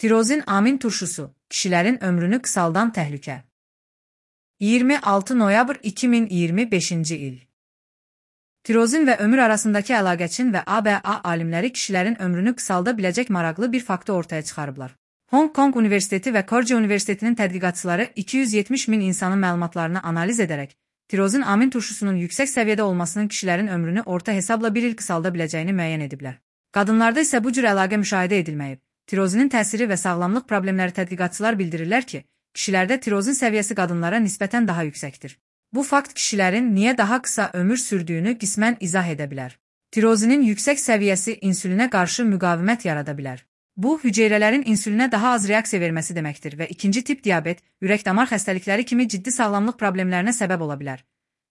Tirozin amin turşusu, kişilərin ömrünü qısaldan təhlükə. 26 noyabr 2025-ci il. Tirozin və ömür arasındakı əlaqə Çin və ABA alimləri kişilərin ömrünü qısalda biləcək maraqlı bir faktı ortaya çıxarıblar. Hong Kong Universiteti və Korce Universitetinin tədqiqatçıları 270 min insanın məlumatlarını analiz edərək, tirozin amin turşusunun yüksək səviyyədə olmasının kişilərin ömrünü orta hesabla bir il qısalda biləcəyini müəyyən ediblər. Qadınlarda isə bu cür əlaqə müşahidə edilməyib. Tirozinin təsiri və sağlamlıq problemləri tədqiqatçılar bildirirlər ki, kişilərdə tirozin səviyyəsi qadınlara nisbətən daha yüksəkdir. Bu fakt kişilərin niyə daha qısa ömür sürdüyünü qismən izah edə bilər. Tirozinin yüksək səviyyəsi insülinə qarşı müqavimət yarada bilər. Bu, hüceyrələrin insülinə daha az reaksiya verməsi deməkdir və ikinci tip diabet, ürək-damar xəstəlikləri kimi ciddi sağlamlıq problemlərinə səbəb ola bilər.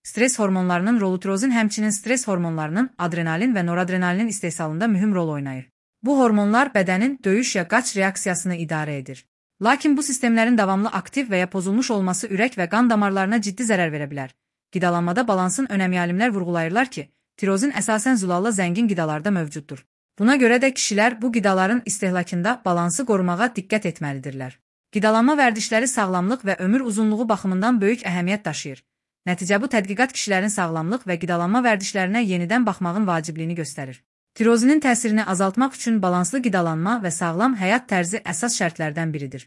Stres hormonlarının rolu tirozin həmçinin stres hormonlarının adrenalin və noradrenalinin istehsalında mühüm rol oynayır. Bu hormonlar bədənin döyüş ya qaç reaksiyasını idarə edir. Lakin bu sistemlərin davamlı aktiv və ya pozulmuş olması ürək və qan damarlarına ciddi zərər verə bilər. Qidalanmada balansın önəmi alimlər vurğulayırlar ki, tirozin əsasən zülalla zəngin qidalarda mövcuddur. Buna görə də kişilər bu qidaların istehlakında balansı qorumağa diqqət etməlidirlər. Qidalanma vərdişləri sağlamlıq və ömür uzunluğu baxımından böyük əhəmiyyət daşıyır. Nəticə bu tədqiqat kişilərin sağlamlıq və qidalanma vərdişlərinə yenidən baxmağın vacibliyini göstərir. Tirozinin təsirini azaltmaq üçün balanslı qidalanma və sağlam həyat tərzi əsas şərtlərdən biridir.